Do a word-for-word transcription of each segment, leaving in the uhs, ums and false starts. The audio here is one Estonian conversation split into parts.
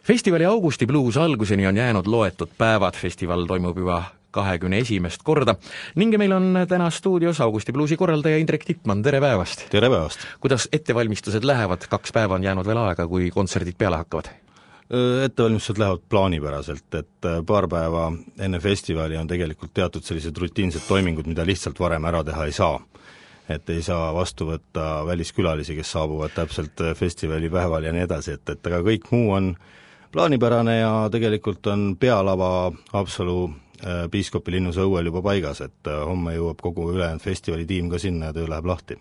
Festivali Augusti Blues alguseni on jäänud loetud päevad, festival toimub juba kahekümne esimest korda ning meil on täna stuudios Augusti Bluesi korraldaja Indrek Tippmann, tere päevast! Tere päevast! Kuidas ettevalmistused lähevad, kaks päeva on jäänud veel aega, kui kontserdid peale hakkavad? Ettevalmistused lähevad plaanipäraselt, et paar päeva enne festivali on tegelikult teatud sellised rutiinsed toimingud, mida lihtsalt varem ära teha ei saa. Et ei saa vastu võtta väliskülalisi, kes saabuvad täpselt festivali päeval ja nii edasi, et, et aga kõik muu on plaanipärane ja tegelikult on pealava Haapsalu piiskopi linnuse õuel juba paigas, et homme jõuab kogu ülejäänud festivali tiim ka sinna ja töö läheb lahti.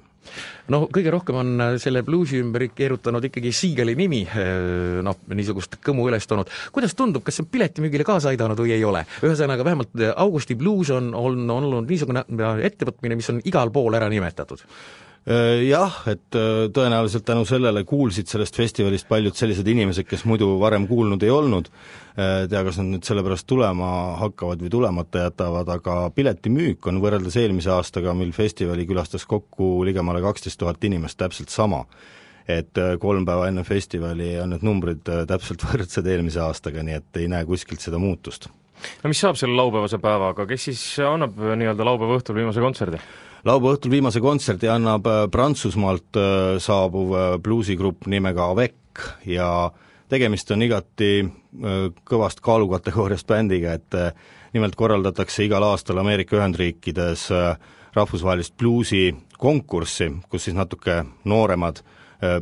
No kõige rohkem on selle bluesi ümber keerutanud ikkagi Siigeli nimi, noh, niisugust kõmu üles toonud. Kuidas tundub, kas see on piletimüügile kaasa aidanud või ei ole? Ühesõnaga, vähemalt Augusti Blues on, on, on olnud niisugune ettevõtmine, mis on igal pool ära nimetatud. Jah, et tõenäoliselt tänu sellele kuulsid sellest festivalist paljud sellised inimesed, kes muidu varem kuulnud ei olnud, tea, kas nad nüüd sellepärast tulema hakkavad või tulemata jätavad, aga piletimüük on võrreldes eelmise aastaga, mil festivali külastas kokku ligemale kaksteist tuhat inimest täpselt sama. Et kolm päeva enne festivali on need numbrid täpselt võrdsed eelmise aastaga, nii et ei näe kuskilt seda muutust. No mis saab selle laupäevase päevaga, kes siis annab nii-öelda laupäeva õhtul viimase kontserdi? Laupäeva õhtul viimase kontserdi annab Prantsusmaalt saabuv bluusigrupp nimega Avec ja tegemist on igati kõvast kaalukategooriast bändiga, et nimelt korraldatakse igal aastal Ameerika Ühendriikides rahvusvahelist bluusi konkurssi, kus siis natuke nooremad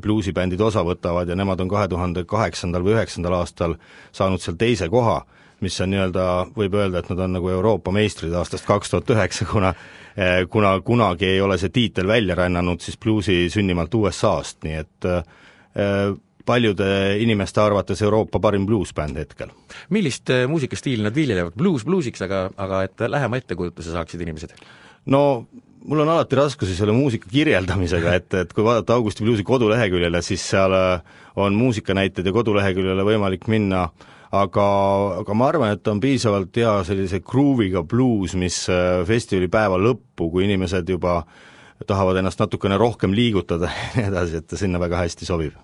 bluusibändid osa võtavad ja nemad on kahe tuhande kaheksandal või üheksandal aastal saanud seal teise koha, mis on nii-öelda, võib öelda, et nad on nagu Euroopa meistrid aastast kaks tuhat üheksa, kuna kuna kunagi ei ole see tiitel välja rännanud siis bluusi sünnimalt U S A-st, nii et paljude inimeste arvates Euroopa parim bluusbänd hetkel. Millist muusikastiili nad viljelevad? Blues bluusiks, aga, aga et lähema ettekujutuse saaksid inimesed? No mul on alati raskusi selle muusika kirjeldamisega, et, et kui vaadata Augusti Bluesi koduleheküljele, siis seal on muusikanäited ja koduleheküljele võimalik minna, aga, aga ma arvan, et on piisavalt hea sellise grooviga blues, mis festivali päeva lõppu, kui inimesed juba tahavad ennast natukene rohkem liigutada ja nii edasi, et sinna väga hästi sobib.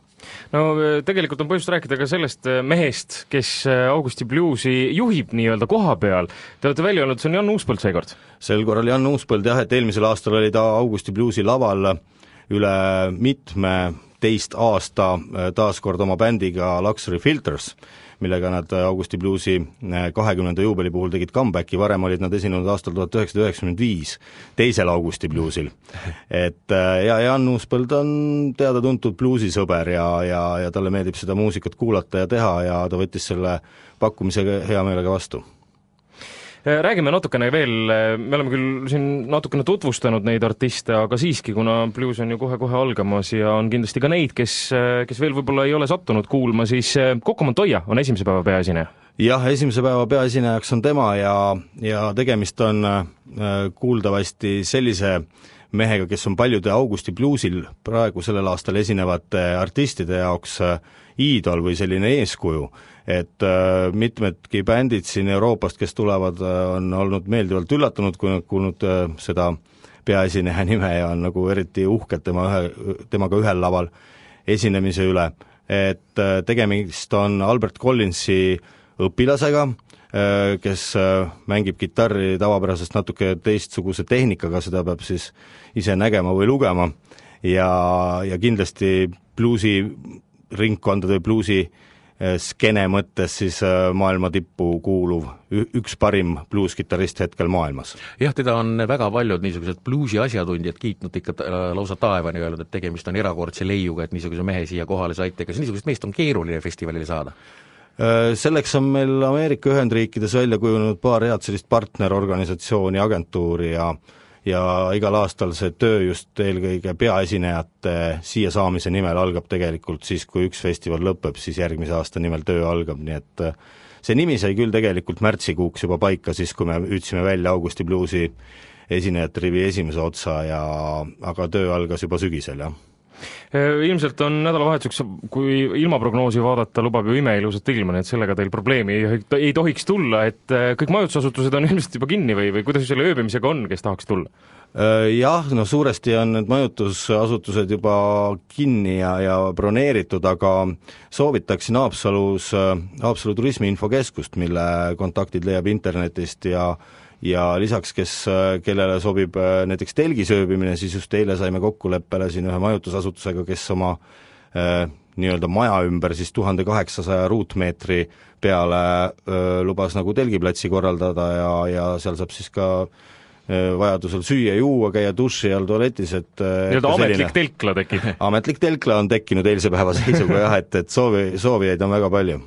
No tegelikult on põhjust rääkida ka sellest mehest, kes Augusti Bluesi juhib nii-öelda koha peal. Te olete välja olnud, see on Jan Uuspõld seekord? Sel korral Jan Uuspõld, jah, et eelmisel aastal oli ta Augusti Bluesi laval üle mitme teist aasta taaskord oma bändiga Luxury Filters, millega nad Augusti Bluesi kahekümnenda juubeli puhul tegid comebacki, varem olid nad esinenud aastal tuhat üheksasada üheksakümmend viis teisel Augusti Bluesil. Et ja Jan Uuspõld on teada-tuntud bluusisõber ja, ja, ja talle meeldib seda muusikat kuulata ja teha ja ta võttis selle pakkumisega hea meelega vastu. Räägime natukene veel, me oleme küll siin natukene tutvustanud neid artiste, aga siiski, kuna blues on ju kohe-kohe algamas ja on kindlasti ka neid, kes, kes veel võib-olla ei ole sattunud kuulma, siis Coco Montoya on esimese päeva peaesineja. Jah, esimese päeva peaesinejaks on tema ja, ja tegemist on kuuldavasti sellise mehega, kes on paljude Augusti Bluesil praegu sellel aastal esinevate artistide jaoks iidol või selline eeskuju, et äh, mitmedki bändid siin Euroopast, kes tulevad, on olnud meeldivalt üllatunud, kui nad kuulnud äh, seda peaesineja nime ja on nagu eriti uhked tema ühe, temaga ühel laval esinemise üle. Et äh, tegemist on Albert Collinsi õpilasega, äh, kes äh, mängib kitarri tavapärasest natuke teistsuguse tehnikaga, seda peab siis ise nägema või lugema ja, ja kindlasti bluusi ringkondade bluusi skene mõttes siis maailma tippu kuuluv üks parim bluuskitarrist hetkel maailmas. Jah, teda on väga paljud niisugused bluusi asjatundjad kiitnud ikka lausa taevani öelnud, et tegemist on erakordse leiuga, et niisuguse mehe siia kohale saite, kas niisugust meest on keeruline festivalile saada? Selleks on meil Ameerika Ühendriikides välja kujunenud paar head sellist partnerorganisatsiooni, agentuuri ja ja igal aastal see töö just eelkõige peaesinejate siia saamise nimel algab tegelikult siis, kui üks festival lõpeb, siis järgmise aasta nimel töö algab, nii et see nimi sai küll tegelikult märtsikuuks juba paika, siis kui me hüüdsime välja Augusti Bluesi esinejate rivi esimese otsa ja aga töö algas juba sügisel, jah. Ilmselt on nädalavahetuseks, kui ilmaprognoosi vaadata, lubab ju imeilusat ilma, nii et sellega teil probleemi ei, ei tohiks tulla, et kõik majutusasutused on ilmselt juba kinni või, või kuidas selle ööbimisega on, kes tahaks tulla? Jah, no suuresti on need majutusasutused juba kinni ja, ja broneeritud, aga soovitaksin Haapsalus, Haapsalu turismiinfokeskust, mille kontaktid leiab internetist ja ja lisaks, kes, kellele sobib näiteks telgis ööbimine, siis just eile saime kokkuleppele siin ühe majutusasutusega, kes oma äh, nii-öelda maja ümber siis tuhande kaheksasaja ruutmeetri peale öö, lubas nagu telgiplatsi korraldada ja, ja seal saab siis ka vajadusel süüa, juua, käia duši all tualetis, et nii-öelda ametlik telkla tekib. ametlik telkla on tekkinud eilse päeva seisuga jah, et, et soovi, soovijaid on väga palju.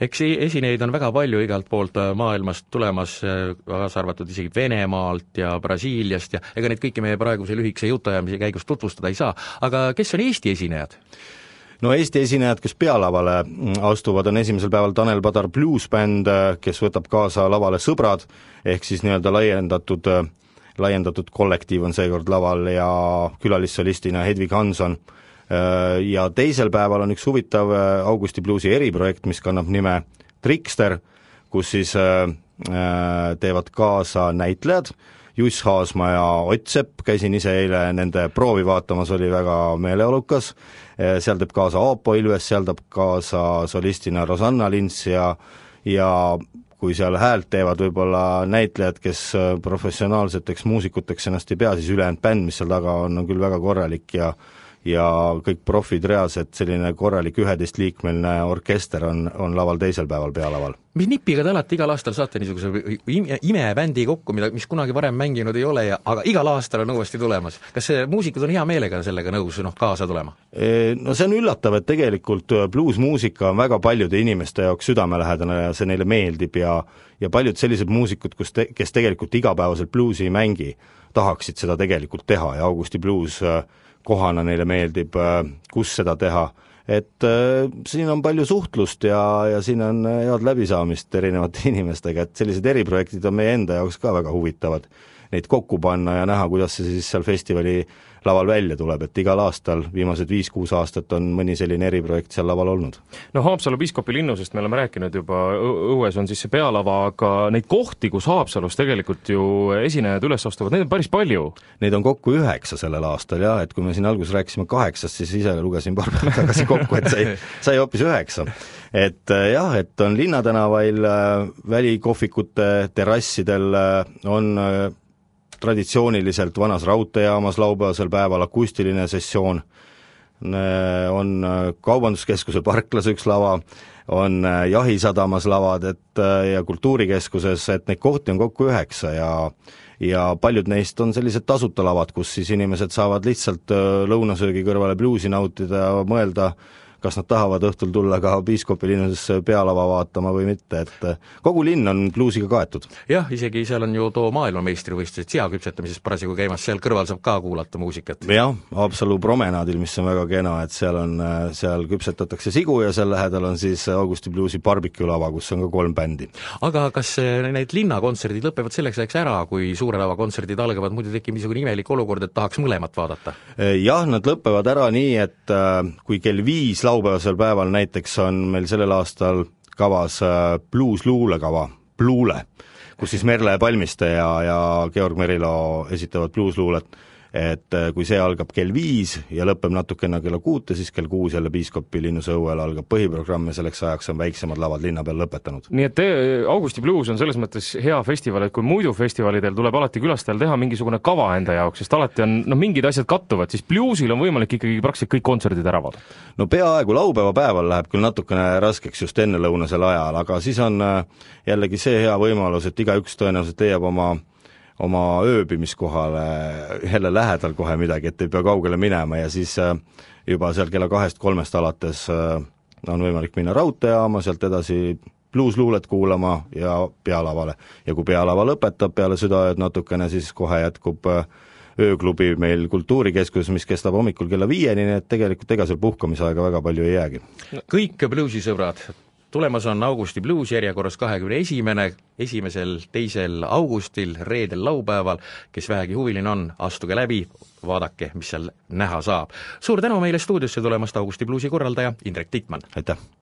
Eks esinejaid on väga palju igalt poolt maailmast tulemas, kaasa arvatud isegi Venemaalt ja Brasiiliast ja ega neid kõiki meie praeguse lühikese jutuajamise käigus tutvustada ei saa, aga kes on Eesti esinejad? No Eesti esinejad, kes pealavale astuvad, on esimesel päeval Tanel Padar bluesbänd, kes võtab kaasa lavale Sõbrad, ehk siis nii-öelda laiendatud laiendatud kollektiiv on seekord laval ja külalissolistina Hedvig Hanson. Ja teisel päeval on üks huvitav Augusti bluesi eriprojekt, mis kannab nime Trickster, kus siis teevad kaasa näitlejad, Juss Haasma ja Ott Sepp, käisin ise eile nende proovi vaatamas, oli väga meeleolukas, seal teeb kaasa Aapo Ilves, seal teeb kaasa solistina Rosanna Lints ja ja kui seal häält teevad võib-olla näitlejad, kes professionaalseteks muusikuteks ennast ei pea, siis ülejäänud bänd, mis seal taga on, on küll väga korralik ja ja kõik profid reas, et selline korralik üheteistliikmeline orkester on, on laval teisel päeval pealaval. Mis nipiga te alati igal aastal saate niisuguse ime, imebändi kokku, mida, mis kunagi varem mänginud ei ole, ja, aga igal aastal on uuesti tulemas. Kas see muusikud on hea meelega sellega nõus noh, kaasa tulema? No see on üllatav, et tegelikult bluesmuusika on väga paljude inimeste jaoks südamelähedane ja see neile meeldib ja, ja paljud sellised muusikud, kus te, kes tegelikult igapäevaselt bluesi ei mängi, tahaksid seda tegelikult teha ja Augusti blues kohana neile meeldib, kus seda teha. Et äh, siin on palju suhtlust ja, ja siin on head läbisaamist erinevate inimestega, et sellised eriprojektid on meie enda jaoks ka väga huvitavad. Neid kokku panna ja näha, kuidas see siis seal festivali laval välja tuleb, et igal aastal, viimased viis-kuus aastat on mõni selline eriprojekt seal laval olnud. No Haapsalu Piiskopi linnusest me oleme rääkinud juba, õues on siis see pealava, aga neid kohti, kus Haapsalus tegelikult ju esinejad üles astuvad, neid on päris palju. Neid on kokku üheksa sellel aastal, jah, et kui me siin alguses rääkisime kaheksast, siis ise lugesin paar päeva tagasi kokku, et sai, sai hoopis üheksa. Et jah, et on linnatänavail, välikohvikute terrassidel on traditsiooniliselt vanas raudteejaamas laupäevasel päeval akustiline sessioon, on kaubanduskeskuse parklas üks lava, on jahisadamas lavad et, ja kultuurikeskuses, et neid kohti on kokku üheksa ja ja paljud neist on sellised tasuta lavad, kus siis inimesed saavad lihtsalt lõunasöögi kõrvale bluesi nautida ja mõelda, kas nad tahavad õhtul tulla ka Piiskopi linnusesse pealava vaatama või mitte, et kogu linn on bluesiga kaetud. Jah, isegi seal on ju too maailmameistrivõistlused seaküpsetamises parasjagu käimas, seal kõrval saab ka kuulata muusikat. Jah, Haapsalu promenaadil, mis on väga kena, et seal on, seal küpsetatakse sigu ja seal lähedal on siis Augusti bluesi barbecue lava, kus on ka kolm bändi. Aga kas need linnakontserdid lõpevad selleks ajaks ära, kui suure lava kontserdid algavad, muidu tekib niisugune imelik olukord, et tahaks mõlemat vaadata? Jah, nad lõpevad ära nii, et kui kell viis laupäevasel päeval näiteks on meil sellel aastal kavas blues luulekava, Bluule, kus siis Merle Palmiste ja, ja Georg Merilo esitavad blues luulet, et kui see algab kell viis ja lõpeb natukene kella kuute, siis kell kuus jälle Piiskopi linnuse õuel algab põhiprogramm ja selleks ajaks on väiksemad lavad linna peal lõpetanud. Nii et Augusti blues on selles mõttes hea festival, et kui muidu festivalidel tuleb alati külastajal teha mingisugune kava enda jaoks, sest alati on, no mingid asjad kattuvad, siis bluesil on võimalik ikkagi praktiliselt kõik kontserdid ära vaadata. No peaaegu laupäeva päeval läheb küll natukene raskeks just enne lõunasel ajal, aga siis on jällegi see hea võimalus, et igaüks tõenäoliselt leiab oma oma ööbimiskohale jälle lähedal kohe midagi, et ei pea kaugele minema ja siis juba seal kella kahest-kolmest alates on võimalik minna raudteejaama, sealt edasi bluesluulet kuulama ja pealavale. Ja kui pealava lõpetab peale südaööd natukene, siis kohe jätkub ööklubi meil kultuurikeskuses, mis kestab hommikul kella viieni, nii et tegelikult ega seal puhkamisaega väga palju ei jäägi. Kõik bluesisõbrad, tulemas on Augusti Blues järjekorras kahekümne esimene, esimesel, teisel augustil, reedel, laupäeval, kes vähegi huviline on, astuge läbi, vaadake, mis seal näha saab. Suur tänu meile stuudiosse tulemast, Augusti Bluesi korraldaja Indrek Tiitmann! Aitäh!